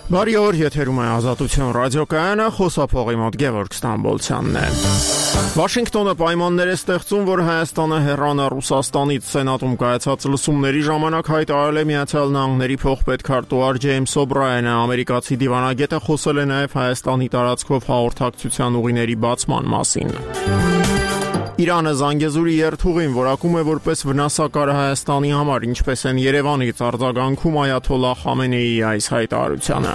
Բարի օր, եթերում է Ազատություն ռադիոկայանը, խոսափողի մոտ Գևորգ Ստամբոլցյանն է։ Վաշինգտոնը պայմաններ է ստեղծում, որ Հայաստանը հեռանա Ռուսաստանից։ Սենատում կայացած լսումների ժամանակ հայտարարել է Միացյալ Նահանգների փոխպետքարտուղար Ջեյմս Օբրայենը։ Ամերիկացի դիվանագետը խոսել է նաև Հայաստանի տարածքով հաղորդակցության ուղիների բացման մասին։ Իրանը Զանգեզուրի երթուղին որակում է որպես վնասակար Հայաստանի համար, ինչպես են Երևանից արձագանքում Այաթոլլահ Խամենեիի այս հայտարարությանը։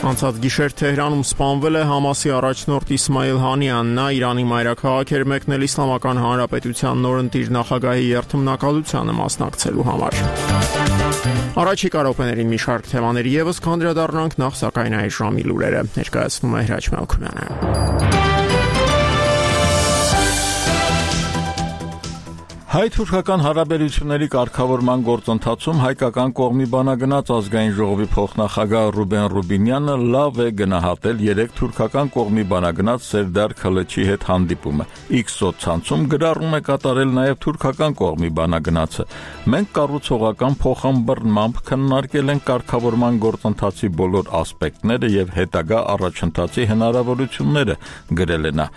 Անցած գիշեր Թեհրանում սպանվել է Համասի առաջնորդ Իսմայիլ Հանիան, նա Իրանի մայրաքաղաք էր մեկնել Իսլամական Հանրապետության նորընտիր նախագահի երթմնակալությանը մասնակցելու համար։ Առաջիկա րոպեներին մի շարք թեմաների ևս կանդրադառնանք, նախ սակայն այս ժամի լուրերը ներկայացնում է Հրաչ Մելքումյանը։ Հայ-թուրքական հարաբերությունների կարգավորման գործընթացում հայկական կողմի բանագնաց ազգային ժողովի փոխնախագահ Ռուբեն Ռուբինյանը լավ է գնահատել երեք թուրքական կողմի բանագնաց Սերդար Քլիչի հետ հանդիպումը։ X սոցցանցում գրառում է կատարել նաև թուրքական կողմի բանագնացը։ Մենք կառուցողական փոխանցմամբ քննարկել ենք կարգավորման գործընթացի բոլոր ասպեկտները եւ հետագա առաջընթացի հնարավորությունները, գրել է նա։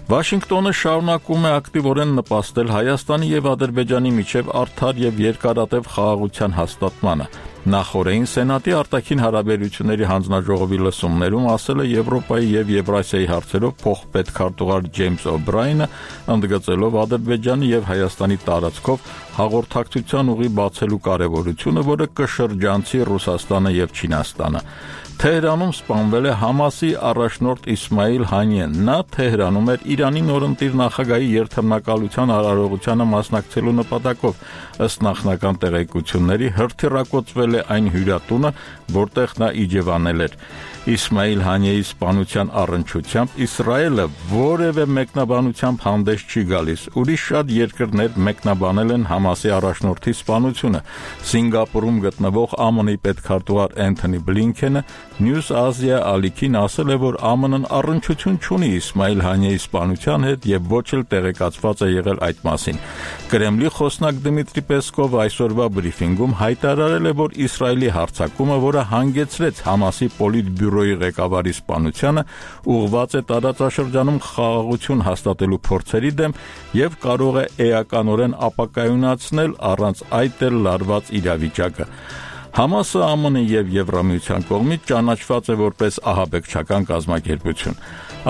Վաշինգտոնը շարունակում է ակտիվորեն նպաստել Հայաստանի եւ Ադրբեջանի միջև արդար եւ երկարատև խաղաղության հաստատմանը։ Նախորդին Սենատի արտաքին հարաբերությունների հանձնաժողովի լսումներում ասել է Եվրոպայի եւ Եվրասիայի հարցերով փոխպետքարտուղար Ջեյմս Օբրայենը, ընդգծելով Ադրբեջանի եւ Հայաստանի տարածքով հաղորդակցության ուղի բացելու կարեւորությունը, որը կշրջանցի Ռուսաստանը եւ Չինաստանը։ Թեհրանում սպանվել է Համասի առաջնորդ Իսմայիլ Հանիեն։ Նա Թեհրանում էր Իրանի նորընտիր նախագահի երթմնակալության արարողությանը մասնակցելու նպատակով։ Ըստ նախնական տեղեկությունների հրթիռակոծվել է այն հյուրատունը, որտեղ նա իջևանել էր։ Իսմայիլ Հանիեի սպանության առնչությամբ Իսրայելը որևէ մեկնաբանությամբ հանդես չի գալիս։ Ուրիշ շատ երկրներ մեկնաբանել են Համասի առաջնորդի սպանությունը։ Սինգապուրում գտնվող ԱՄՆ-ի պետքարտուղար Էնթոնի Բլինքենը News Asia ալիքին ասել է, որ ԱՄՆ-ն առնչություն չունի Իսմայիլ Հանիեի սպանության հետ եւ ոչ էլ տեղեկացված է եղել այդ մասին։ Կրեմլի խոսնակ Դմիտրի Պեսկովը այսօրվա բրիֆինգում հայտարարել է, որ Իսրայելի հարձակումը, որը հանգեցրեց Համասի պոլիտբյուրոյի ղեկավարի սպանությանը, ուղղված է տարածաշրջանում խաղաղություն հաստատելու փորձերի դեմ եւ կարող է էականորեն ապակայունացնել առանց այդ էլ լարված իրավիճակը։ Համասը ԱՄՆ-ի եւ Եվրամիության կողմից ճանաչված է որպես ահաբեկչական կազմակերպություն։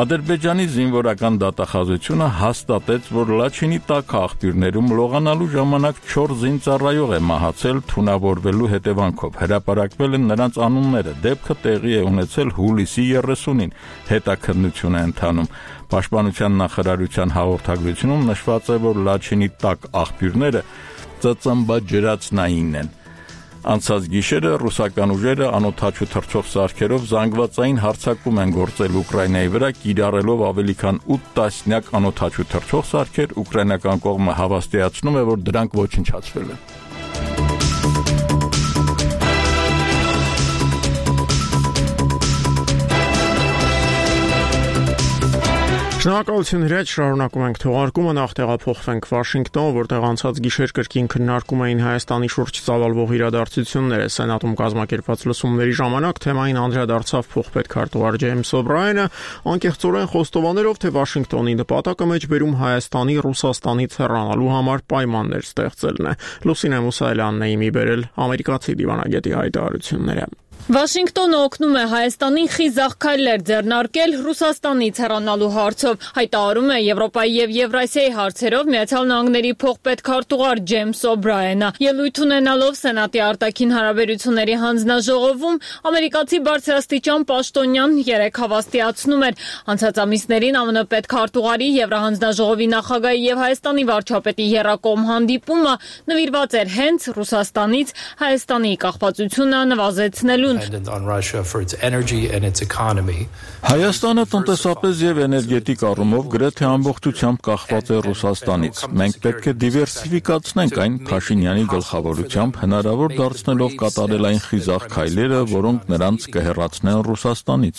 Ադրբեջանի զինվորական դատախազությունը հաստատեց, որ Լաչինի տաք աղբյուրներում լողանալու ժամանակ 4 զինծառայող է մահացել թունավորվելու հետևանքով։ Հրապարակվել են նրանց անունները։ Դեպքը տեղի է ունեցել հուլիսի 30-ին։ Հետաքննություն է ընթանում։ Պաշտպանության նախարարության հաղորդագրությունում նշված է, որ Լաչինի տաք աղբյուրները ծծմբաջրածնային են։ Անցած գիշերը ռուսական ուժերը անօդաչու թռչող սարքերով զանգվածային հարձակում են գործել Ուկրաինայի վրա, կիրառելով ավելի քան 8 տասնյակ անօդաչու թռչող սարքեր։ Ուկրաինական կողմը հավաստիացնում է, որ դրանք ոչնչացվել են։ Շնորհակալություն Հրաչ, շարունակում ենք թողարկումը, նախ տեղափոխվենք Վաշինգտոն, որտեղ անցած գիշեր կրկին քննարկում էին Հայաստանի շուրջ ծավալվող իրադարձությունները։ Սենատում կազմակերպված լսումների ժամանակ թեմային անդրադարձավ փոխպետքարտուղար Ջեյմս Օբրայենը, անկեղծորեն խոստովանելով, թե Վաշինգտոնի նպատակը մեջբերում Հայաստանի Ռուսաստանից հեռանալու համար պայմաններ ստեղծելն է։ Լուսինե Մուսայելյանն է իմի բերել ամերիկացի դիվանագետի հայտարարությունները։ Վաշինգտոնը օգնում է Հայաստանին խիզախ քայլեր ձեռնարկել Ռուսաստանից հեռանալու հարցով, հայտարարում է Եվրոպայի եւ Եվրասիայի հարցերով Միացյալ Նահանգների փոխպետքարտուղար Ջեյմս Օբրայենը։ Ելույթ ունենալով Սենատի արտաքին հարաբերությունների հանձնաժողովում ամերիկացի բարձրաստիճան պաշտոնյան երեկ հավաստիացնում էր անցած ամիսներին ԱՄՆ պետքարտուղարի Եվրահանձնաժողովի նախագահի եւ Հայաստանի վարչապետի եռակողմ հանդիպումը նվիրված էր հենց Ռուսաստանից Հայաստանի կախվածությունը նվազեցնելու։ Հայաստանը տնտեսապես եւ էներգետիկ առումով գրեթե ամբողջությամբ կախված է Ռուսաստանից։ Մենք պետք է դիվերսիֆիկացնենք այն Փաշինյանի գլխավորությամբ, հնարավոր դարձնելով կատարել այն խիզախ քայլերը, որոնք նրանց կհեռացնեն Ռուսաստանից։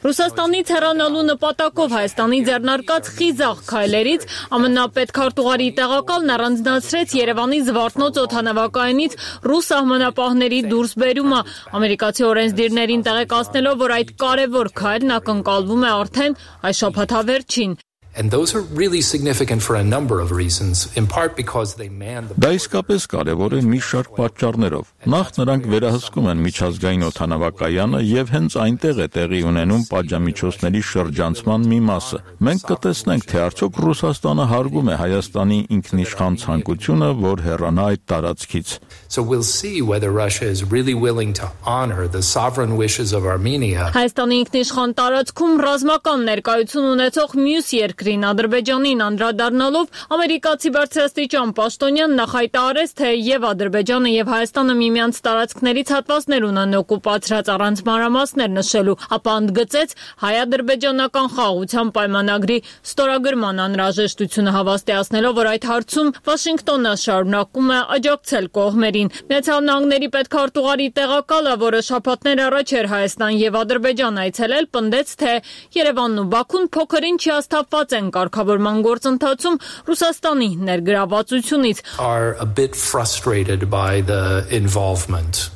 Ռուսաստանից հեռանալու նպատակով Հայաստանի ձեռնարկած խիզախ քայլերից ԱՄՆ պետքարտուղարի տեղակալն առանձնացրեց Երևանի Զվարթնոց օդանավակայանից ռուս սահմանապահների զորքերի դուրսբերումը։ Ամերիկացի օրենսդիրներին տեղեկացնելով, որ այդ կարևոր քայլն ակնկալվում է արդեն այս շաբաթավերջին։ And those are really significant for a number of reasons, in part because they man the Դա իսկապես կարևոր է մի շարք պատճառներով։ Նախ նրանք վերահսկում են միջազգային օդանավակայանը եւ հենց այնտեղ է տեղի ունենում պատժամիջոցների շրջանցման մի մասը։ Մենք կտեսնենք, թե արդյոք Ռուսաստանը հարգում է Հայաստանի ինքնիշխան ցանկությունը, որ հեռանա այդ տարածքից։ So we'll see whether Russia is really willing to honor the sovereign wishes of Armenia. Հայաստանի ինքնիշխան տարածքում ռազմական ներկայություն ունեցող մյուս երկրին Ադրբեջանին անդրադառնալով ամերիկացի բարձրաստիճան պաշտոնյան նախայտարարեց, թե եւ Ադրբեջանը եւ Հայաստանը միմյանց տարածքներից հատվածներ ունեն օկուպացրած առանց մանրամասներ նշելու, ապա ընդգծեց հայ-ադրբեջանական խաղաղության պայմանագրի ստորագրման անհրաժեշտությունը, հավաստիացնելով, որ այդ հարցում Վաշինգտոնը շարունակում է աջակցել կողմերին։ Միացյալ Նահանգների պետքարտուղարի տեղակալը, որը շաբաթներ առաջ էր Հայաստան եւ Ադրբեջան այցելել, պնդեց, թե Երևանն ու Բաքուն փոքր-ինչ հիասթափված են կարգավորման գործընթացում Ռուսաստանի ներգրավվածությունից։ Are a bit frustrated by the involvement.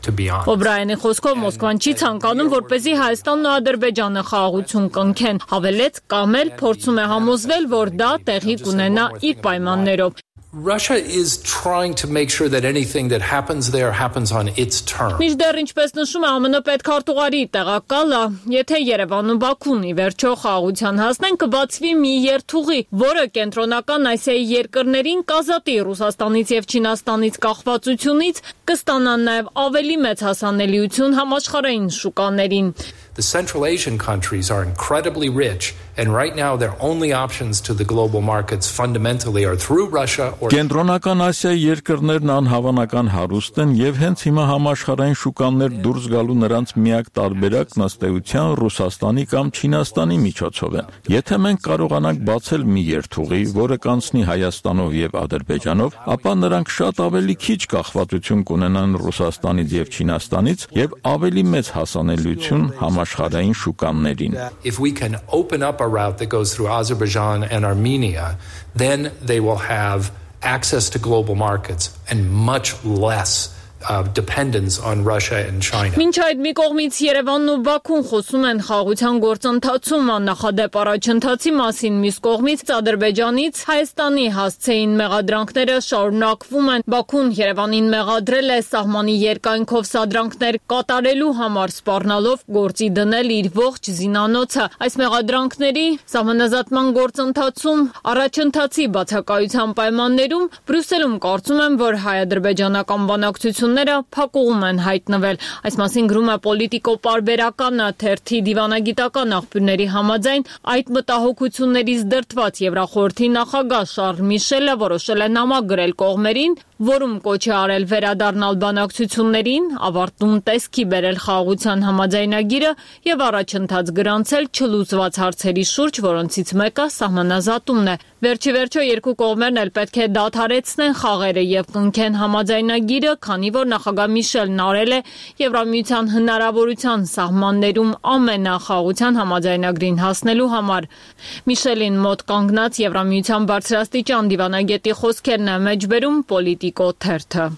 Օբրայանի խոսքով Մոսկվան չի ցանկանում, որպեսզի Հայաստանն ու Ադրբեջանը խաղաղություն կնքեն, հավելեց, կամ էլ փորձում է համոզվել, որ դա տեղի կունենա իր պայմաններով։ Russia is trying to make sure that anything that happens there happens on its terms. Մինչդեռ ինչպես նշում է ԱՄՆ պետքարտուղարի տեղակալը, եթե Երևանն ու Բաքուն ի վերջո խաղաղության հասնեն, կբացվի մի երթուղի, որը կենտրոնական Ասիայի երկրներին կազատի Ռուսաստանից եւ Չինաստանից կախվածությունից, կստանան նաեւ ավելի մեծ հասանելիություն համաշխարհային շուկաներին։ The Central Asian countries are incredibly rich, and right now their only options to the global markets fundamentally are through Russia or Կենտրոնական Ասիայի երկրներն անհավանական հարուստ են եւ հենց հիմա համաշխարհային շուկաներ դուրս գալու նրանց միակ տարբերակն ըստ էության Ռուսաստանի կամ Չինաստանի միջոցով են։ Եթե մենք կարողանանք բացել մի երթուղի, որը կանցնի Հայաստանով եւ Ադրբեջանով, ապա նրանք շատ ավելի քիչ կախվածություն կունենան Ռուսաստանից եւ Չինաստանից եւ ավելի մեծ հասանելիություն համաշխարհային շուկաներին։ If we can open up a route that goes through Azerbaijan and Armenia, then they will have access to global markets and much less dependence on Russia and China. Մինչ այդ մի կողմից Երևանն ու Բաքուն խոսում են խաղաղության գործընթացում աննախադեպ առաջընթացի մասին, մյուս կողմից Ադրբեջանից Հայաստանի հասցեին մեղադրանքները շարունակվում են։ Բաքուն Երևանին մեղադրել է սահմանի երկայնքով սադրանքներ կատարելու համար սպառնալով գործի դնել իր ողջ զինանոցը։ Այս մեղադրանքների սահմանազատման գործընթացում առաջընթացի բացակայության պայմաններում Բրյուսելում կարծում են, որ հայ-ադրբեջանական բանակցությունները փակուղում են հայտնվել։ Այս մասին գրում է Պոլիտիկո պարբերականը թերթի դիվանագիտական աղբյուրների համաձայն այդ մտահոգություններից դրդված Եվրախորհրդի նախագահ Շարլ Միշելը որոշել է նամակ գրել կողմերին, որում կոչ է արել վերադառնալ բանակցություններին, ավարտուն տեսքի բերել խաղաղության համաձայնագիրը եւ առաջընթաց գրանցել չլուծված հարցերի շուրջ, որոնցից մեկը սահմանազատումն է։ Վերջիվերջո երկու կողմերն էլ պետք է դադարեցնեն խաղերը եւ կնքեն համաձայնագիրը, քանի որ նախագահ Միշելն արել է Եվրամիության հնարավորության սահմաններում ամենախաղաղության համաձայնագրին հասնելու համար։ Միշելին մոտ կանգնած Եվրամիության բարձրաստիճան դիվանագետի խոսքերն է մեջբերում Պոլիտիկո թերթը։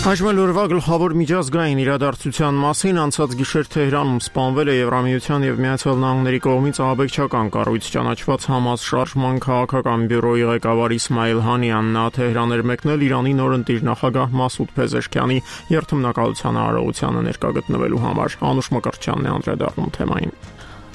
Այժմ օրվա գլխավոր միջազգային իրադարձության մասին անցած գիշեր Թեհրանում սպանվել է Եվրամիության եւ Միացյալ Նահանգների կողմից ահաբեկչական կառույց ճանաչված Համաս շարժման քաղաքական բյուրոյի ղեկավար Իսմայիլ Հանիան։ Նա Թեհրան էր մեկնել Իրանի նորընտիր նախագահ Մասուդ Փեզեշքյանի երթմնակալության արարողությանը ներկա գտնվելու համար։ Անուշ Մկրտչյանն է անդրադառնում թեմային։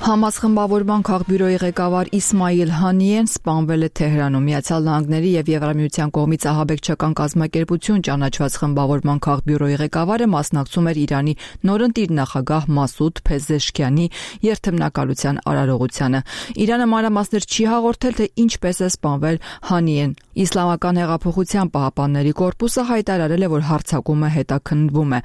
Համաս խմբավորման քաղբյուրոյի ղեկավար Իսմայիլ Հանիեն սպանվել է Թեհրանում։ Միացյալ Նահանգների եւ Եվրամիության կողմից ահաբեկչական կազմակերպություն ճանաչված խմբավորման քաղբյուրոյի ղեկավարը մասնակցում էր Իրանի նորընտիր նախագահ Մասուդ Փեզեշքյանի երթմնակալության արարողությանը։ Իրանը մանրամասներ չի հաղորդել, թե ինչպես է սպանվել Հանիեն։ Իսլամական հեղափոխության պահապանների կորպուսը հայտարարել է, որ հարձակումը հետաքննվում է։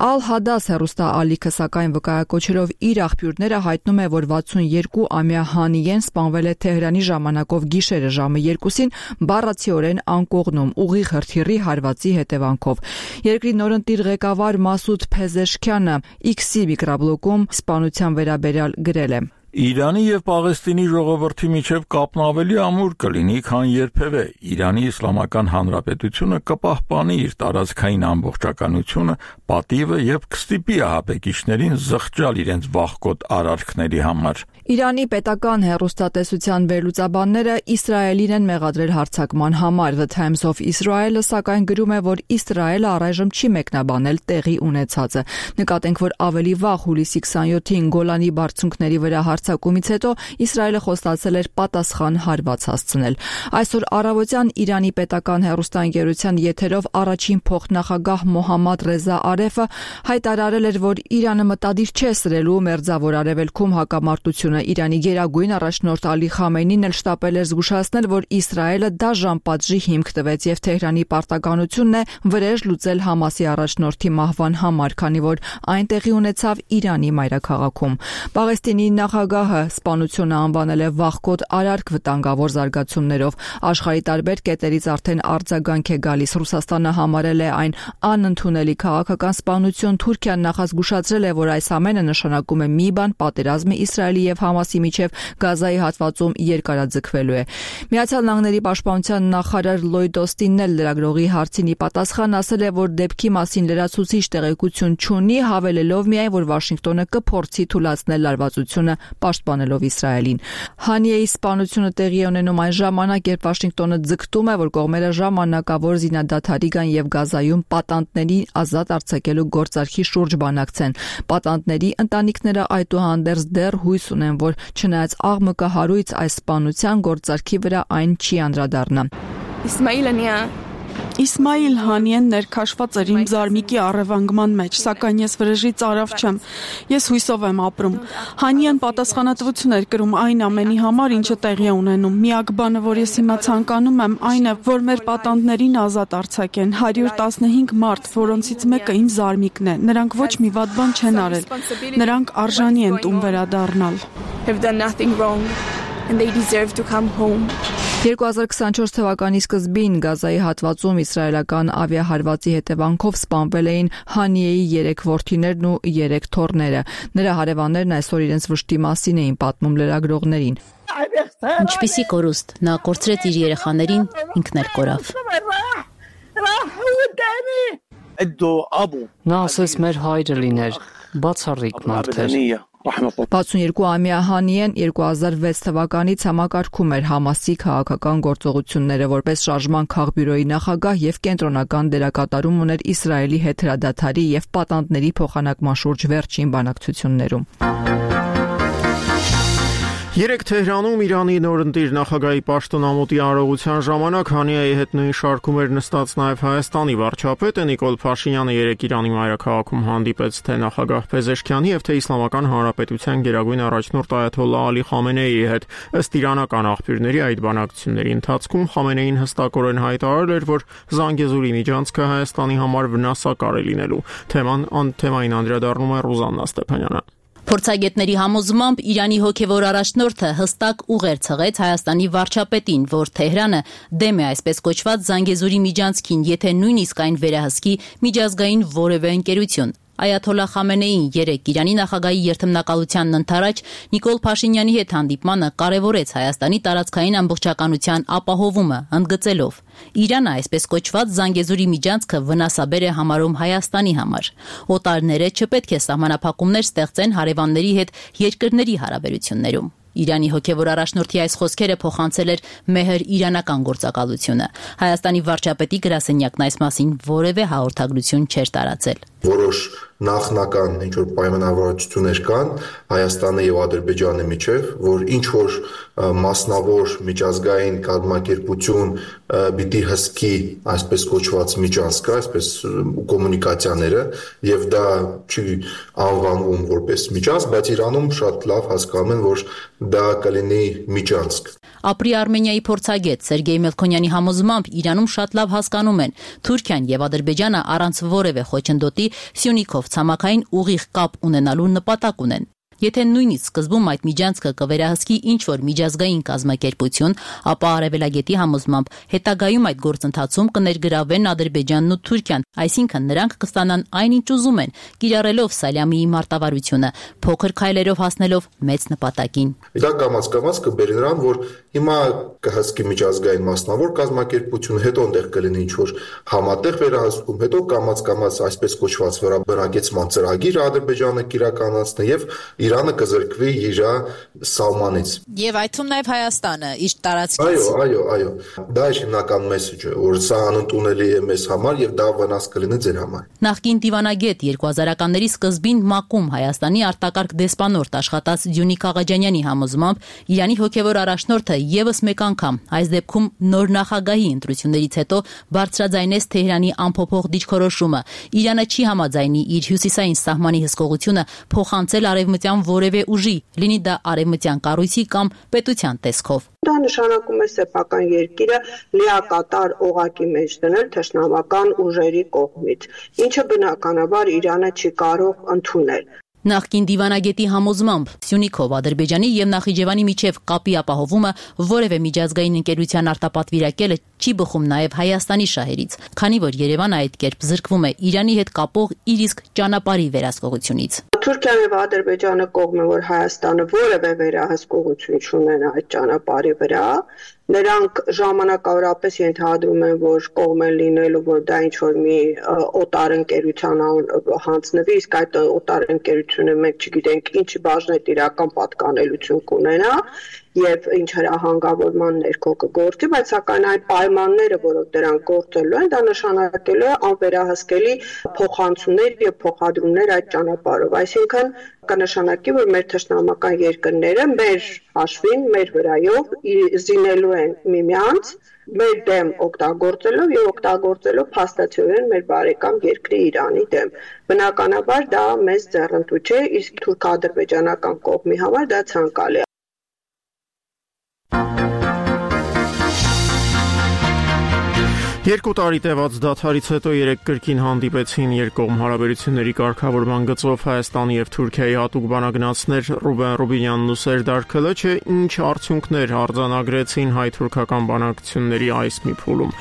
Ալ-Հադաս հեռուստաալիքը սակայն վկայակոչելով իր աղբյուրները հայտնում է, որ 62-ամյա Հանիեն սպանվել է Թեհրանի ժամանակով գիշերը ժամը 2-ին բառացիորեն անկողնում ուղիղ հրթիռի հարվածի հետևանքով։ Երկրի նորընտիր ղեկավար Մասուդ Փեզեշքյանը X-ի միկրոբլոգում սպանության վերաբերյալ գրել է. Իրանի եւ Պաղեստինի ժողովրդի միջև կապն ավելի ամուր կլինի, քան երբևէ։ Իրանի Իսլամական Հանրապետությունը կպահպանի իր տարածքային ամբողջականությունը, պատիվը եւ կստիպի ահաբեկիչներին զղջալ իրենց վախկոտ արարքների համար։ Իրանի պետական հեռուստատեսության վերլուծաբանները Իսրայելին են մեղադրել հարձակման համար։ The Times of Israel-ը սակայն գրում է, որ Իսրայելը առայժմ չի մեկնաբանել տեղի ունեցածը։ Նկատենք, որ ավելի վաղ հուլիսի 27-ին Գոլանի բարձունքների վրա հարձակումից հետո Իսրայելը խոստացել էր պատասխան հարված հասցնել։ Այսօր առավոտյան Իրանի պետական հեռուստաընկերության եթերով առաջին փոխնախագահ Մոհամմադ Ռեզա Արեֆը հայտարարել էր, որ Իրանը մտադիր չէ սրելու Մերձավոր Արևելքում հակամարտությունը։ Իրանի գերագույն առաջնորդ Ալի Խամենին էլ շտապել էր զգուշացնել, որ Իսրայելը դաժան պատժի հիմք տվեց եւ Թեհրանի պարտականությունն է վրեժ լուծել Համասի առաջնորդի մահվան համար, քանի որ այն տեղի ունեցավ Իրանի մայրաքաղաքում։ Պաղեստինի նախագահը սպանությունը անվանել է վախկոտ արարք վտանգավոր զարգացումներով։ Աշխարհի տարբեր կետերից արդեն արձագանք է գալիս։ Ռուսաստանը համարել է այն անընդունելի քաղաքական սպանություն։ Թուրքիան նախազգուշացրել է, որ այս ամենը նշանակում է մի բան՝ պատերազմը Իսրայելի եւ Համասի միջև Գազայի հատվածում երկարաձգվելու է։ Միացյալ Նահանգների պաշտպանության նախարար Լոյդ Օստինն էլ լրագրողի հարցին ի պատասխան ասել է, որ դեպքի մասին լրացուցիչ տեղեկություն չունի, հավելելով միայն, որ Վաշինգտոնը կփորձի թույլատնել լարվածությունը պաշտպանելով Իսրայելին։ Հանիեի սպանությունը տեղի ունենում այն ժամանակ, երբ Վաշինգտոնը ձգտում է, որ կողմերը ժամանակավոր զինադադարի գան եւ Գազայում պատանդների ազատ արձակելու գործարքի շուրջ բանակցեն։ Պատանդների ընտանիքները այդուհանդերձ դեռ հույս ունեն, որ չնայած աղմկը հարույց այս սպանության գործարքի վրա այն չի անդրադառնա։ Իսմայիլ Հանիեն ներքաշված էր իմ զարմիկի առևանգման մեջ, սակայն ես վրեժից արավ չեմ։ Ես հույսով եմ ապրում։ Հանիեն պատասխանատվություն էր կրում այն ամենի համար, ինչը տեղի է ունենում։ Միակ բանը, որ ես հիմա ցանկանում եմ, այն է, որ մեր պատանդներին ազատ արձակեն։ 115 մարդ, որոնցից մեկը իմ զարմիկն է։ Նրանք ոչ մի վատ բան չեն արել։ Նրանք արժանի են տուն վերադառնալ։ And they deserve to come home. 2024 թվականի սկզբին Գազայի հատվածում իսրայելական ավիահարվածի հետևանքով սպանվել էին Հանիեի 3 որդիներն ու 3 թոռները։ Նրա հարևաններն այսօր իրենց վշտի մասին էին պատմում լրագրողներին։ Ինչպիսի կորուստ, նա կորցրեց իր երեխաներին, ինքն էլ կորավ։ Նա ասեց մեր հայրը լիներ, բացառիկ մարդ էր։ 62-ամյա Հանիեն 2006 թվականից համակարգում էր Համասի քաղաքական գործողությունները որպես շարժման քաղբյուրոյի նախագահ եւ կենտրոնական դերակատարում ուներ Իսրայելի հետ հրադադարի եւ պատանդների փոխանակման շուրջ վերջին բանակցություններում։ Երեք Թեհրանում Իրանի նորընտիր նախագահի պաշտոնամուտի արարողության ժամանակ Հանիեի հետ նույն շարքում էր նստած նաև Հայաստանի վարչապետը Նիկոլ Փաշինյանը երեք Իրանի մայրաքաղաքում հանդիպեց թե նախագահ Փեզեշքյանի եւ թե Իսլամական Հանրապետության գերագույն առաջնորդ Այաթոլլահ Ալի Խամենեիի հետ։ Ըստ իրանական աղբյուրների այդ բանակցությունների ընթացքում Խամենեին հստակորեն հայտարարել էր, որ Զանգեզուրի միջանցքը Հայաստանի համար վնասակար է լինելու։ Թեմային անդրադառնում է Ռուզաննա Ստեփանյանը։ Փորձագետների համոզմամբ Իրանի հոգևոր առաջնորդը հստակ ուղեր ցղեց Հայաստանի վարչապետին, որ Թեհրանը դեմ է այսպես կոչված Զանգեզուրի միջանցքին, եթե նույնիսկ այն վերահսկի միջազգային որևէ ընկերություն։ Այաթոլլահ Խամենեին երեք Իրանի նախագահի երթմնակալությանն ընթരാճ Նիկոլ Փաշինյանի հետ հանդիպմանը կարևորեց Հայաստանի տարածքային ամբողջականության ապահովումը, ընդգծելով. Իրանը այսպես կոչված Զանգեզուրի միջանցքը վնասաբեր է համարում Հայաստանի համար։ Օտարները չպետք է սահմանափակումներ ստեղծեն հարևանների հետ երկրների հարաբերություններում։ Իրանի հոգևոր առաջնորդի այս խոսքերը փոխանցել էր Մեհր իրանական գործակալությունը։ Հայաստանի վարչապետի գրասենյակն այս մասին որևէ հաղորդագրություն չէր տարածել։ Որոշ նախնական ինչ-որ պայմանավորվածություններ կան Հայաստանի եւ Ադրբեջանի միջև, որ ինչ-որ մասնավոր միջազգային կազմակերպություն պիտի հսկի այսպես կոչված միջանցքը, այսպես կոմունիկացիաները, եւ դա չի անվանվում որպես միջանցք, բայց Իրանում շատ լավ հասկանում են, որ դա կլինի միջանցք։ Ապրի Արմենիայի փորձագետ Սերգեյ Մելքոնյանի համոզմամբ Իրանում շատ լավ հասկանում են Թուրքիան եւ Ադրբեջանը առանց որևէ խոչընդոտի Սյունիքով ցամաքային ուղիղ կապ ունենալու նպատակ ունեն։ Եթե նույնիսկ սկզբում այդ միջանցքը կվերահսկի ինչ-որ միջազգային կազմակերպություն, ապա Արևելագետի համոզմամբ հետագայում այդ գործընթացում կներգրավվեն Ադրբեջանն ու Թուրքիան, այսինքն նրանք կստանան այնինչ ուզում են, կիրառելով Սալյամիի մարտավարությունը, փոքր քայլերով հասնելով մեծ նպատակին։ Դա կամաց կբերի նրան, որ հիմա կհսկի միջազգային մասնավոր կազմակերպություն, հետո այնտեղ կլինի ինչ-որ համատեղ վերահսկում, հետո կամաց այսպես կոչված վերաբնակեցման ծրագիր Ադրբեջանը կիրականացնի եւ Իրանը կզրկվի իր սահմանից։ Եվ այդ թվում նաև Հայաստանը իր տարածքից։ Այո, դա է հիմնական մեսեջը, որ սա անընդունելի է մեզ համար եւ դա վնաս կլինի ձեր համար։ Նախկին դիվանագետ 2000-ականների սկզբին ՄԱԿ-ում Հայաստանի արտակարգ դեսպանորդ աշխատած Դյունիկ Աղաջանյանի համոզմամբ Իրանի հոգևոր առաջնորդը եւս մեկ անգամ, այս դեպքում նոր նախագահի ընտրություններից հետո բարձրաձայնեց Թեհրանի անփոփոխ դիրքորոշումը։ Իրանը չի համաձայնի իր հյուսիսային սահմանի հսկողությունը փոխանցել արևմտյան որևէ ուժի, լինի դա արևմտյան կառույցի կամ պետության տեսքով։ Դա նշանակում է սեփական երկիրը լիակատար օղակի մեջ դնել թշնամական ուժերի կողմից, ինչը բնականաբար Իրանը չի կարող ընդունել։ Նախկին դիվանագետի համոզմամբ Սյունիքով Ադրբեջանի եւ Նախիջևանի միջև կապի ապահովումը որևէ միջազգային ընկերության արտապատվիրակելը չի բխում նաեւ Հայաստանի շահերից, քանի որ Երևանը այդ կերպ զրկվում է Իրանի հետ կապող իր իսկ ճանապարհի վերահսկողությունից։ Թուրքիան եւ Ադրբեջանը կողմ է, որ Հայաստանը որևէ վերահսկողություն չունենա այդ ճանապարհի վրա, նրանք ժամանակավորապես ենթադրում են, որ կողմ են լինելու, որ դա ինչ-որ մի օտար ընկերության հանձնվի, իսկ այդ օտար ընկերությունը մենք չգիտենք ինչի բաժնետիրական պատկանելություն կունենա եւ ինչ հրահանգավորման ներքո կգործի, բայց սակայն այն պայմանները, որով դրանք գործելու են, դա նշանակելու է անվերահսկելի փոխանցումներ եւ փոխադրումներ այդ ճանապարհով, այսինքն կնշանակի, որ մեր թշնամական երկրները մեր հաշվին, մեր վրայով զինելու են միմյանց, մեր դեմ օգտագործելով եւ օգտագործելով փաստացիորեն մեր բարեկամ երկրի Իրանի դեմ։ Բնականաբար դա մեծ ձեռնտու չէ, իսկ թուրք-ադրբեջանական կողմի համար դա ցանկալի է։ Երկու տարի տևած դադարից հետո երեք կրկին հանդիպեցին երկկողմ հարաբերությունների կարգավորման գծով Հայաստանի եւ Թուրքիայի հատուկ բանագնացներ Ռուբեն Ռուբինյանն ու Սերդար Քլչը, ինչ արդյունքներ արձանագրեցին հայ-թուրքական բանակցությունների այս մի փուլում։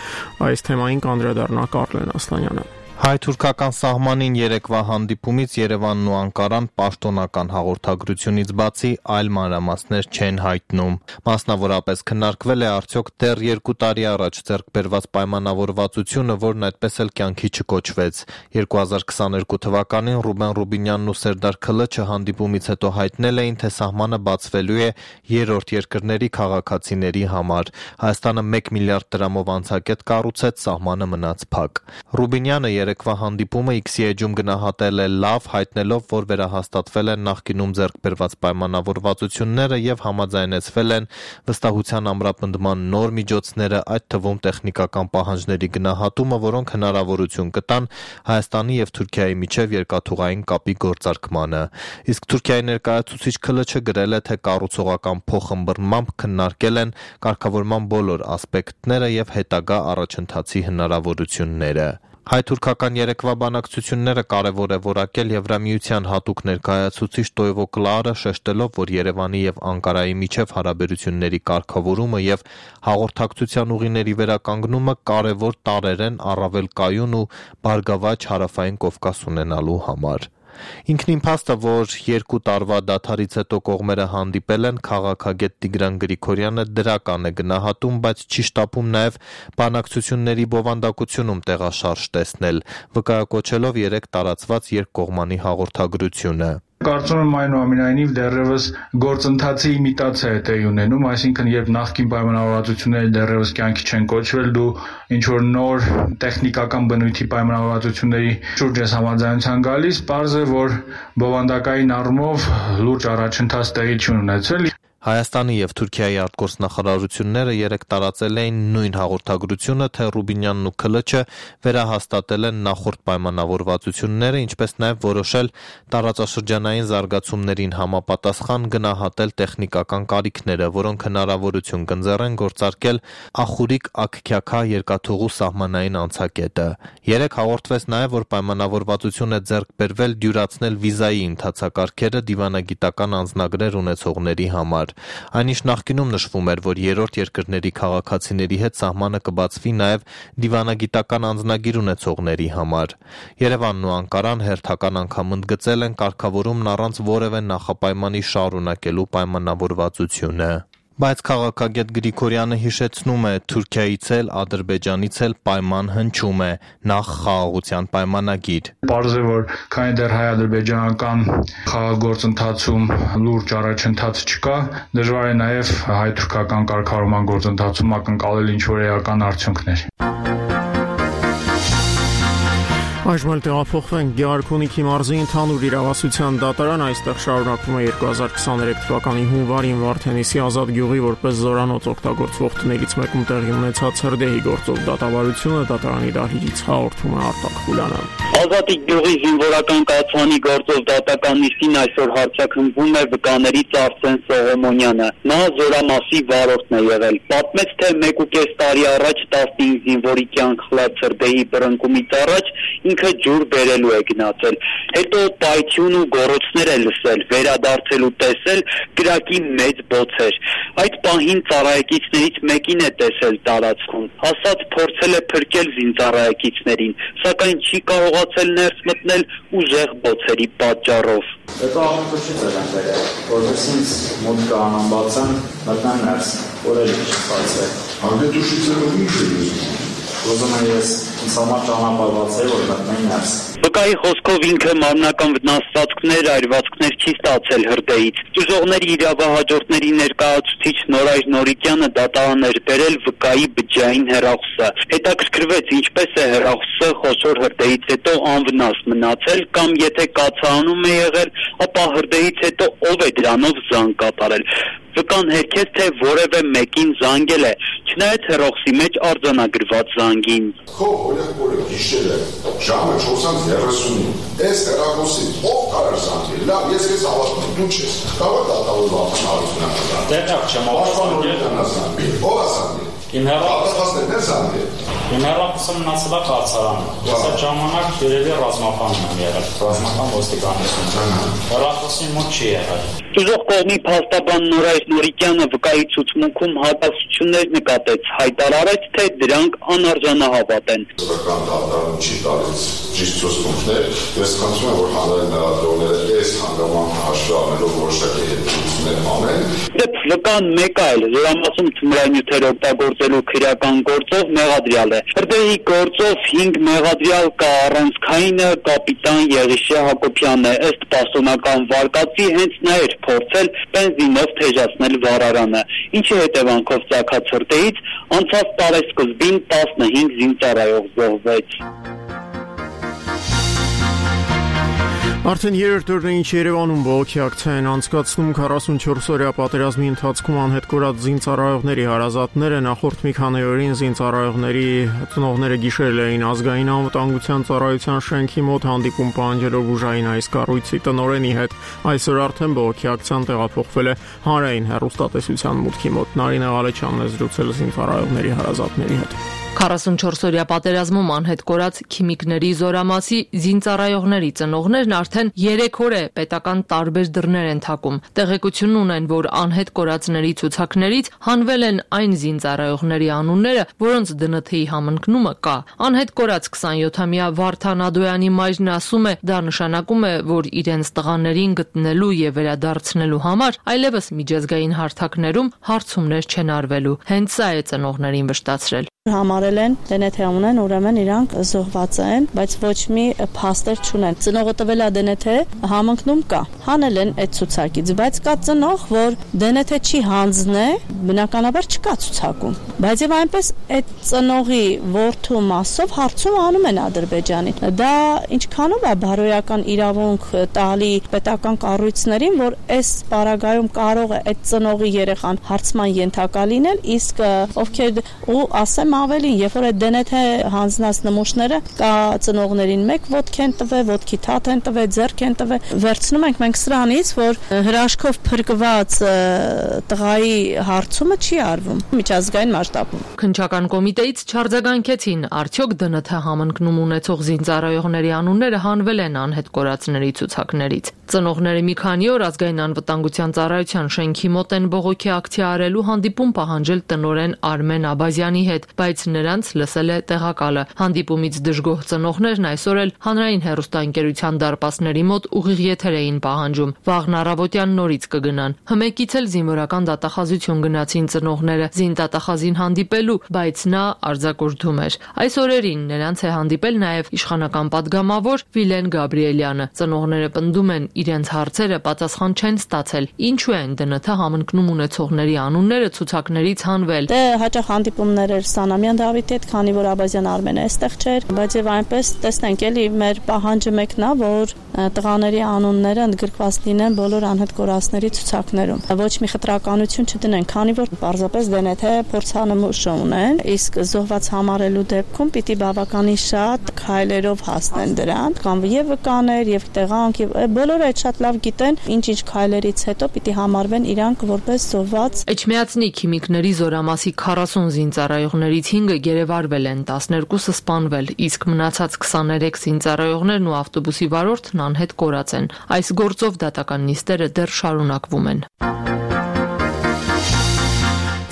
Այս թեմային կանդրադառնա Կարլեն Ասլանյանը։ Հայ-թուրքական սահմանին երեկվա հանդիպումից Երևանն ու Անկարան պաշտոնական հաղորդագրությունից բացի այլ մանրամասներ չեն հայտնում։ Մասնավորապես քննարկվել է արդյոք դեռ 2 տարի առաջ ձեռք բերված պայմանավորվածությունը, որն այդպես էլ կյանքի չկոչվեց։ 2022 թվականին Ռուբեն Ռուբինյանն ու Սերդար Քլչը հանդիպումից հետո հայտնել էին, թե սահմանը բացվելու է երրորդ երկրների քաղաքացիների համար։ Հայաստանը 1 միլիարդ դրամով անցակետ կառուցեց, սահմանը մնաց փակ։ Ռուբինյանը երեկվա հանդիպումը X-ի էջում գնահատել է լավ, հայտնելով, որ վերահաստատվել են նախկինում ձեռք բերված պայմանավորվածությունները եւ համաձայնեցվել են վստահության ամրապնդման նոր միջոցները, այդ թվում տեխնիկական պահանջների գնահատումը, որոնք հնարավորություն կտան Հայաստանի եւ Թուրքիայի միջև երկաթուղային կապի գործարկմանը։ Իսկ Թուրքիայի ներկայացուցիչ Քլչը գրել է, թե կառուցողական փոխըմբռնմամբ քննարկել են կարգավորման բոլոր ասպեկտները եւ հետագա առաջընթացի հնարավորությունները։ Հայ-թուրքական երեկվա բանակցությունները կարևոր է որակել Եվրամիության հատուկ ներկայացուցիչ Տոյվո Կլարը, շեշտելով, որ Երևանի եւ Անկարայի միջև հարաբերությունների կարգավորումը եւ հաղորդակցության ուղիների վերականգնումը կարևոր տարրեր են առավել կայուն ու բարգավաճ հարավային Կովկաս ունենալու համար։ Ինքնին փաստ է, որ 2 տարվա դադարից հետո կողմերը հանդիպել են, քաղաքագետ Տիգրան Գրիգորյանը դրական է գնահատում, բայց չի շտապում նաև բանակցությունների բովանդակությունում տեղաշարժ տեսնել, վկայակոչելով 3 տարածված երկկողմանի հաղորդագրությունը։ Կարծում եմ այնուամենայնիվ դեռևս գործընթացի իմիտացիա է տեղի ունենում, այսինքն երբ նախկին պայմանավորվածությունները դեռևս կյանքի չեն կոչվել, դու ինչ որ նոր տեխնիկական բնույթի պայմանավորվածությունների շուրջ ես համաձայնության գալիս, պարզ է, որ բովանդակային առումով լուրջ առաջընթաց տեղի չի ունեցել։ Հայաստանի եւ Թուրքիայի արտգործնախարարությունները երեկ տարածել էին նույն հաղորդագրությունը, թե Ռուբինյանն ու Քլչը վերահաստատել են նախորդ պայմանավորվածությունները, ինչպես նաեւ որոշել տարածաշրջանային զարգացումներին համապատասխան գնահատել տեխնիկական կարիքները, որոնք հնարավորություն կընձեռեն գործարկել Ախուրիկ Աքքյաքա երկաթուղու սահմանային անցակետը։ Երեկ հաղորդվեց նաեւ, որ պայմանավորվածություն է ձեռք բերվել դյուրացնել վիզայի ընթացակարգերը դիվանագիտական անձնագրեր ունեցողների համար։ Այնիշ նախկինում նշվում էր, որ երրորդ երկրների քաղաքացիների հետ սահմանը կբացվի նաև դիվանագիտական անձնագիր ունեցողների համար։ Երևանն ու Անկարան հերթական անգամ ընդգծել են կարգավորումն առանց որևէ նախապայմանի շարունակելու պայմանավորվածությունը։ Բայց քաղաքագետ Գրիգորյանը հիշեցնում է, Թուրքիայից էլ, Ադրբեջանից էլ պայման հնչում է, նախ խաղաղության պայմանագիր։ Պարզ է, որ քանի դեռ հայ-ադրբեջանական խաղաղագործընթացում լուրջ առաջընթաց չկա, դժվար է նաև հայ-թուրքական կարգավորման գործընթացում ակնկալել ինչ-որ էական արդյունքներ։ Այժմ էլ տեղափոխվենք Գեղարքունիքի մարզի ընդհանուր իրավասության դատարան, այստեղ շարունակվում է 2023 թվականի հունվարին Վարդենիսի Ազատ գյուղի որպես զորանոց օգտագործվող տներից մեկում տեղի ունեցած հրդեհի գործով դատավարությունը, դատարանի դահլիճից հաղորդում է Արտակ Խուլյանը։ Ազատի գյուղի զինվորական կացանի գործով դատական նիստին այսօր հարցաքննվում է վկաներից Արսեն Սողոմոնյանը։ Նա զորամասի վարորդն է եղել։ Պատմեց, թե 1.5 տարի առաջ 15 զինվորի կյանք խլած հրդեհի բռնկումից առաջ ինքը ջուր բերելու է գնացել, հետո պայթյուն ու գոռոցներ է լսել, վերադարձել ու տեսել կրակի մեծ բոցեր։ Այդ պահին ծառայեկիցներից մեկին է տեսել տարածքում, ասած փորձել է փրկել զինծառայեկիցներին, սակայն չի կարողացել ներս մտնել ուժեղ բոցերի պատճառով։ Հետո աղմուկը չի ձեռան բերել, որպես ինձ մոտ կանանբացան, մտնան ներս, որել չի ստացվել։ Անգետուշի ձեռով ինչ է լուզում։ Ուզում եմ ես ինձ համար ճանապարհված է, որ մտնեն ներս։ Վկայի խոսքով ինքը մարմնական վնասվածքներ, այրվածքներ չի ստացել հրդեհից։ Ճյուղողների իրավահաջորդների ներկայացուցիչ Նորայր Նորիկյանը դատարան էր բերել վկայի բջջային հեռախոսը։ Հետաքրքրվեց, ինչպես է հեռախոսը խոշոր հրդեհից հետո անվնաս մնացել, կամ եթե կացարանում է եղել, ապա հրդեհից հետո ով է դրանով զանգ կատարել։ Վկան հերքեց, թե որևէ մեկին զանգել է, չնայած հեռախոսի մեջ արձանագրված զանգին։ Քո օրը գիշեր է, ժամը 4:30-ին։ Այս հեռախոսի ով կարող զանգել։ Լավ, ես քեզ հավատում եմ, դու չես։ Կարող դատավորված հարցնական։ Դեռ չեմ հավատում։ Ով ասա։ Իմ հեռախոսը մնացել է կացարանում։ Ես այդ ժամանակ երևի ռազմական եմ եղել, ռազմական ոստիկանություն։ Հեռախոսին մոտ չի եղել։ Ճյուղող կողմի փաստաբան Նորայր Նորիկյանը վկայի ցուցմունքում հակասություններ նկատեց, հայտարարեց, թե դրանք անարժանահավատ են։ Վկան դատարան չի տալիս ճիշտ ցուցմունքներ, ես խնդրում եմ, որ հանրային մեղադրողները այս հանգամանքը հաշվի առնելով որոշակի հետևություններ անեն։ Դեպ վկան մեկ այլ զորամասում թմրանյութեր օգտագործելու քրեական գործով մեղադրյալ է։ Հրդեհի գործով 5 մեղադրյալ կա, առանցքայինը կապիտան Եղիշե Հակոբյանն է, ըստ պաշտոնական վարկածի հենց նա էր փորձել բենզինով թեժացնել վարարանը, ինչի հետևանքով ծագած հրդեհից անցած տարեսկզբին 15 զինծառայող զոհվեց։ Արդեն երրորդ օրն է, ինչ Երևանում բողոքի ակցիա են անցկացնում 44-օրյա պատերազմի ընթացքում անհետ կորած զինծառայողների հարազատները։ Նախորդ մի քանի օրին զինծառայողների ծնողները գիշերել էին ազգային անվտանգության ծառայության շենքի մոտ հանդիպում պահանջելով ուժային այս կառույցի տնօրենի հետ։ Այսօր արդեն բողոքի ակցիան տեղափոխվել է հանրային հեռուստատեսության մուտքի մոտ։ Նարինե Ղալեչյանն է զրուցել զինծառայողների հարազատների հետ։ 44-օրյա պատերազմում անհետ կորած քիմիկների զորամասի զինծառայողների ծնողներն արդեն 3 օր է պետական տարբեր դռներ են թակում։ Տեղեկություն ունեն, որ անհետ կորածների ցուցակներից հանվել են այն զինծառայողների անունները, որոնց ԴՆԹ-ի համընկնումը կա։ Անհետ կորած 27-ամյա Վարդան Ադոյանի մայրն ասում է, դա նշանակում է, որ իրենց տղաներին գտնելու եւ վերադարձնելու համար այլևս միջազգային հարթակներում հարցումներ չեն արվելու։ Հենց սա է ծնողներին վշտացրել։ Համարել հայտարարել են DNT ունեն, ուրեմն իրանք զոհված են, բայց ոչ մի փաստեր չունեն։ Ծնողը տվել է DNT, համընկնում կա։ Հանել են այդ ցուցակից, բայց կա ծնող, որ DNT չի հանձնե, բնականաբար չկա ցուցակում։ Բայց եւ այնպես այդ ծնողի որդու մասով հարցում անում են Ադրբեջանին։ Դա ինչքանով է բարոյական իրավունք տալի պետական կառույցներին, որ այս պարագայում կարող է այդ ծնողի երեխան հարցման ենթակա լինել, իսկ ովքեր ու ասեմ ավելին, երբ որ այդ DNT հանձնած նմուշները կա ծնողներին մեկ ոտք են տվել, ոտքի թաթ են տվել, ձեռք են տվել, վերցնում ենք մենք սրանից, որ հրաշքով փրկված տղայի հարցումը չի արվում միջազգային մասշտաբում։ Քննչական կոմիտեից չարձագանքեցին, արդյոք DNT համընկնում ունեցող զինծառայողների անունները հանվել են անհետ կորածների ցուցակներից։ Ծնողները մի քանի օր ազգային անվտանգության ծառայության շենքի մոտ են բողոքի ակցիա արելու հանդիպում պահանջել տնօրեն Արմեն Աբազյանի հետ, բայց նրանց լսել է տեղակալը։ Հանդիպումից դժգոհ ծնողներն այսօր էլ հանրային հեռուստաընկերության դարպասների մոտ ուղիղ եթեր էին պահանջում։ Վաղն առավոտյան նորից կգնան։ Հմեկից էլ զինվորական դատախազություն գնացին ծնողները զինդատախազին հանդիպելու, բայց նա արձակուրդում էր։ Այս օրերին նրանց է հանդիպել նաև իշխանական падգամավոր Վիլեն Գաբրիելյանը։ Ծնողները պնդում են, իրենց հարցերը պատասխան չեն ստացել։ Ինչու են DNT համընկնում ունեցողների անունները ցուցակներից հանվել։ Դե հաճախ հանդիպումներ էր Սանամյան Դավիթի հետ, քանի որ Աբազյան Արմենը այստեղ չէր, բայց եւ այնպես տեսնենք էլի մեր պահանջը մեկն է, որ տղաների անունները ընդգրկված լինեն բոլոր անհետ կորածների ցուցակներում։ Ոչ մի խտրականություն չդնեն, քանի որ պարզապես DNT փորձանմուշ ունեն, իսկ զոհված համարելու դեպքում պիտի բավականին շատ քայլերով հասնեն դրան, կամ եւ վկաներ, եւ տեղանք, եւ բոլորը այդ շատ լավ գիտեն, ինչ քայլերից հետո պիտի համարվեն իրանք որպես զոհված։ Էջմիածնի քիմիկների զորամասի 40 զինծառայողներից 5-ը գերեվարվել են, 12-ը սպանվել, իսկ մնացած 23 զինծառայողներն ու ավտոբուսի վարորդն անհետ կորած են։ Այս գործով դատական նիստերը դեռ շարունակվում են։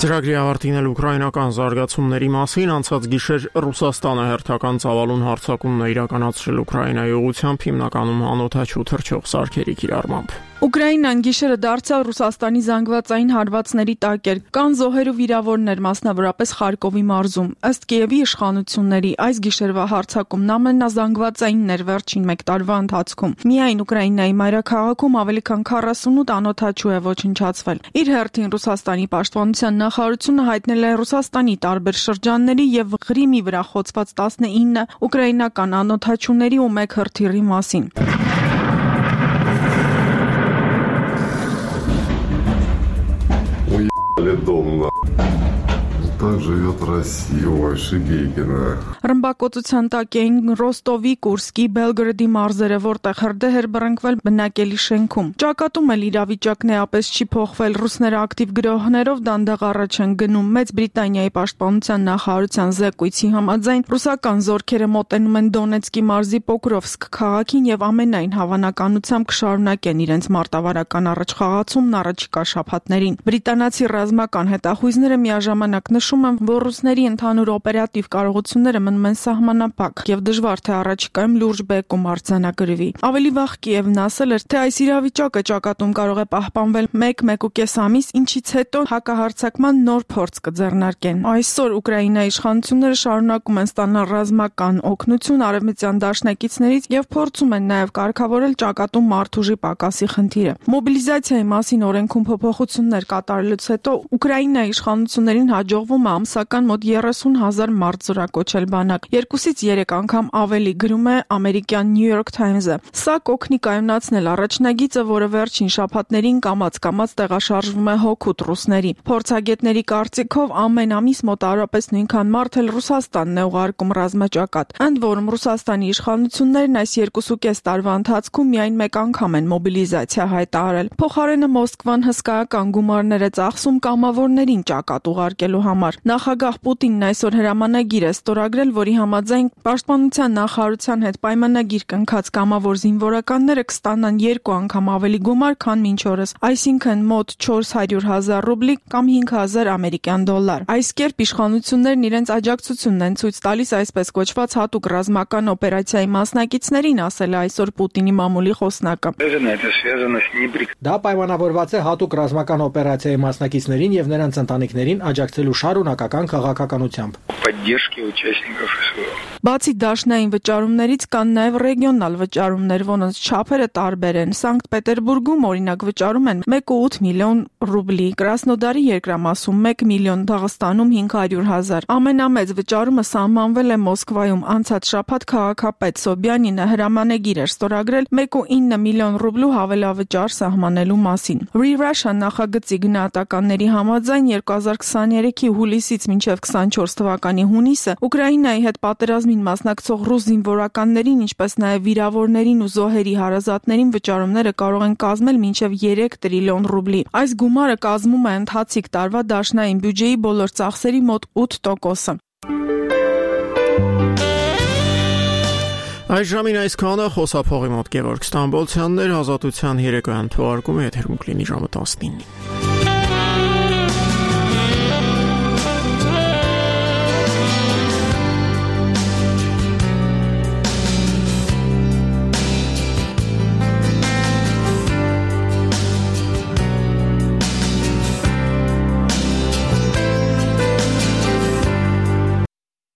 Ծրագրի ավարտին էլ ուկրաինական զարգացումների մասին անցած գիշեր Ռուսաստանը հերթական ծավալուն հարձակումն է իրականացրել Ուկրաինայի ուղղությամբ հիմնականում անօդաչու թռչող սարքերի կիրառմամբ։ Ուկրաինան գիշերը դարձյալ Ռուսաստանի զանգվածային հարվածների տակ էր։ Կան զոհեր ու վիրավորներ, մասնավորապես Խարկովի մարզում։ Ըստ Կիևի իշխանությունների այս գիշերվա հարձակումն ամենազանգվածայինն էր վերջին 1 տարվա ընթացքում։ Միայն Ուկրաինայի մայրաքաղաքում ավելի քան 48 անօդաչու է ոչնչացվել։ Իր հերթին Ռուսաստանի պաշտպանության նախարարությունը հայտնել է Ռուսաստանի տարբեր շրջանների եւ Ղրիմի վրա խոցված 19 ուկրաինական անօդաչուների ու 1 հրթիռի մասին։ Дом, так живет Россия, ой, Шигейкина. Ռմբակոծության տակ էին Ռոստովի, Կուրսկի, Բելգրադի մարզերը, որտեղ հրդեհ էր բռնկվել բնակելի շենքում։ Ճակատում էլ իրավիճակն էապես չի փոխվել։ Ռուսները ակտիվ գրոհներով դանդաղ առաջ են գնում։ Մեծ Բրիտանիայի պաշտպանության նախարարության զեկույցի համաձայն ռուսական զորքերը մոտենում են Դոնեցկի մարզի Պոկրովսկ քաղաքին եւ ամենայն հավանականությամբ կշարունակեն իրենց մարտավարական առաջխաղացումն առաջիկա շաբաթներին։ Բրիտանացի ռազմական հետախույզները միաժամանակ նշում են, որ ռուսների ընդհանուր օպերատիվ կարողությունները մնում են սահմանափակ եւ դժվար թե առաջիկայում լուրջ բեկում արձանագրվի։ Ավելի վաղ Կիևն ասել էր, թե այս իրավիճակը ճակատում կարող է պահպանվել 1-1.5 ամիս, ինչից հետո հակահարձակման նոր փորձ կձեռնարկեն։ Այսօր Ուկրաինայի իշխանությունները շարունակում են ստանալ ռազմական օգնություն արևմտյան դաշնակիցներից եւ փորձում են նաեւ կարգավորել ճակատում մարդուժի պակասի խնդիրը։ Մոբիլիզացիայի մասին օրենքում փոփոխություններ կատարելուց հետո Ուկրաինայի իշխանություններին հաջողվում է ամսական մոտ 30,000 մարդ զորակոչել բանակ։ 2-ից 3 անգամ ավելի, գրում է ամերիկյան New York Times-ը։ Սա կօգնի կայունացնել առաջնագիծը, որը վերջին շաբաթներին կամաց-կամաց տեղաշարժվում է հօգուտ ռուսների։ Փորձագետների կարծիքով ամեն ամիս մոտավորապես նույնքան մարդ էլ Ռուսաստանն է ուղարկում ռազմաճակատ։ Ընդ որում Ռուսաստանի իշխանություններն այս 2.5 տարվա ընթացքում միայն 1 անգամ են մոբիլիզացիա հայտարարել։ Փոխարենը Մոսկվան հսկայական գումարներ է ծախսում կամավորներին ճակատ ուղարկելու համար։ Նախագահ Պուտինն այսօր հրամանագիր է ստորագրել, որի համաձայն պաշտպանության նախարարության հետ պայմանագիր կնքած կամավոր զինվորականները կստանան 2 անգամ ավելի գումար, քան մինչ օրս, այսինքն մոտ 400,000 ռուբլի կամ 5,000 ամերիկյան դոլար։ Այս կերպ իշխանություններն իրենց աջակցությունն են ցույց տալիս այսպես կոչված հատուկ ռազմական օպերացիայի մասնակիցներին, ասել է այսօր Պուտինի մամուլի խոսնակը։ Դա պայմանավորված է հատուկ ռազմական օպերացիայի մասնակիցներին եւ նրանց ընտանիքներին աջակցելու շատ շարունակական քաղաքականությամբ։ Поддержки участников СВО. Բացի դաշնային վճարումներից կան նաև ռեգիոնալ վճարումներ, որոնց չափերը տարբեր են։ Սանկտ Պետերբուրգում օրինակ վճարում են 1.8 միլիոն ռուբլի, Կրասնոդարի երկրամասում 1 միլիոն, Դաղստանում 500,000։ Ամենամեծ վճարումը սահմանվել է Մոսկվայում անցած շաբաթ քաղաքապետ Սոբյանինը հրամանագիր էր ստորագրել 1.9 միլիոն ռուբլու հավելավճար սահմանելու մասին։ Free Russia նախագծի գնահատականների համաձայն 2023-ի հուլիսից մինչև 24 թվականի հունիսը Ուկրաինայի հետ պատերազմին մասնակցող ռուս զինվորականներին, ինչպես նաև վիրավորներին ու զոհերի հարազատներին վճարումները կարող են կազմել մինչև 3 տրիլիոն ռուբլի։ Այս գումարը կազմում է ընթացիկ տարվա դաշնային բյուջեի բոլոր ծախսերի մոտ 8%-ը։ Այս ժամին այսքանը խոսափողի մոտ Գևորգ Ստամբոլցյանն էր, Ազատության երեկոյան թողարկումը եթերում կլինի ժամը 19-ին։